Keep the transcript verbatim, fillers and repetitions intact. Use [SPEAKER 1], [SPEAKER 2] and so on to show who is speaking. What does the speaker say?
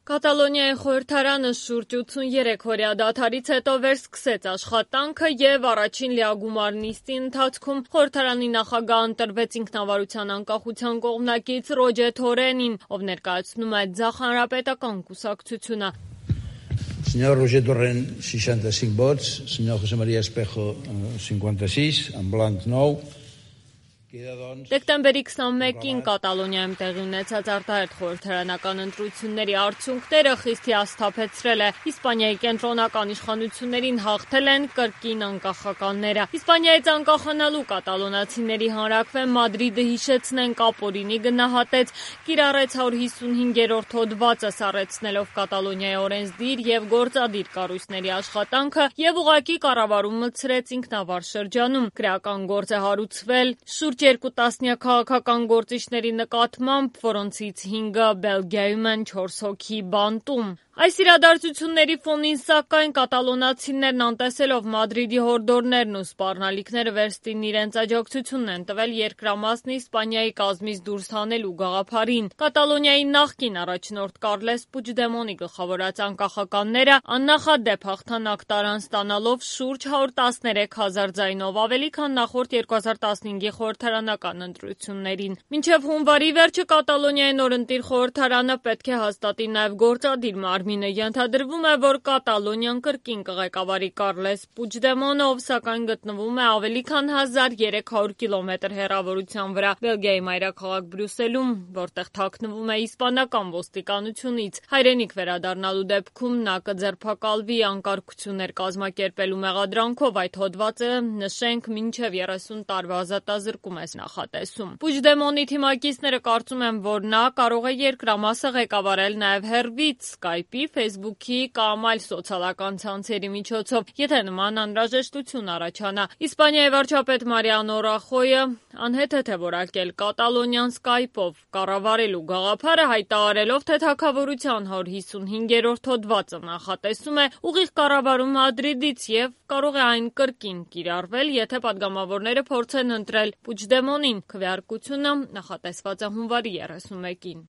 [SPEAKER 1] Կատալոնիայի խորհրդարանը շուրջ ութսուներեք օրյա դադարից հետո վերսկսեց աշխատանքը և առաջին լիագումար նիստի ընթացքում խորհրդարանի նախագահ ընտրվեց ինքնավարության անկախության կողմնակից Ռոջեր Թորենին, ով ներկայացնում է Ձախ հանրապետական կուսակցությունը։
[SPEAKER 2] Señor Roger Torrent, seixanta-cinc vots, señor José María Espejo, cinquanta-sis, en blanc nou.
[SPEAKER 1] Դեկտեմբերի քսանմեկին Կատալոնիայում տեղի ունեցած արտահերթ խորհրդարանական ընտրությունների արդյունքները խիստ հիասթափեցրել է։ Իսպանիայի կենտրոնական իշխանություններին հաղթել են կրկին անկախականները։ Իսպանիայից անկախանալու կատալոնացիների հանրաքվեն Մադրիդը հիշեցնենք ապօրինի գնահատեց, կիրառեց հարյուր հիսունհինգերորդ հոդվածը սառեցնելով Կատալոնիայի օրենսդիր և գործադիր կառույցների աշխատանքը և ուղղակի կառավարում մտցրեց ինքնավար շրջանում։ Քրեական գործ է հարուցվել շուրջ երկու տասնյակ քաղաքական գործիչների նկատմամբ, որոնցից հինգը Բելգիայում են, չորս հոգի բանտում։ Այս իրադարձությունների ֆոնին, սակայն, կատալոնացիներն անտեսելով Մադրիդի հորդորներն ու սպառնալիքները վերստին իրենց աջակցությունն են տվել երկրամասն Իսպանիայի կազմից դուրս հանելու գաղափարին։ Կատալոնիայի նախկին առաջնորդ Կարլես Պուչդեմոնի գլխավորած անկախականները աննախադեպ հաղթանակ տարան ստանալով շուրջ հարյուր տասներեք հազար ձայնով ավելի, քան նախորդ երկու հազար տասնհինգի խորհրդարանական ընտրություններին։ Մինչև հունվարի վերջը Կատալոնիայի նորընտիր խորհրդարանը պետք է հաստատի նաև գործադիր մարմինը։ Ենթադրվում է, որ Կատալոնիան կրկին կղեկավարի Կարլես Պուչդեմոնը, ով սակայն գտնվում է ավելի քան հազար երեք հարյուր կիլոմետր հեռավորության վրա Բելգիայի մայրաքաղաք Բրյուսելում, որտեղ թաքնվում է իսպանական ոստիկանությունից։ Հայրենիք վերադառնալու դեպքում նա կձերբակալվի անկարգություններ կազմակերպելու մեղադրանքով։ Այդ հոդվածը, նշենք, մինչև երեսուն տարվա ազատազրկում է նախատեսում։ Պուչդեմոնի թիմակիցները կարծում են, որ նա կարող է երկրամասը ղեկավարել նաև հեռվից, Skype-ի, Facebook-ի կամ այլ սոցիալական ցանցերի միջոցով, եթե նման անհրաժեշտություն առաջանա։ Իսպանիայի վարչապետ Մարիանո Ռախոյը անհեթեթ է որակել Կատալոնիան Skype-ով կառավարելու գաղափարը, հայտարարելով, թե թագավորության հարյուր հիսունհինգերորդ հոդվածը նախատեսում է ուղիղ կառավարում Մադրիդից և կարող է այն կրկին կիրառվել, եթե падգամավորները փորձեն ընտրել Պուչդեմոնին։ Քվեարկությունը նախատեսված է հունվարի երեսունմեկին։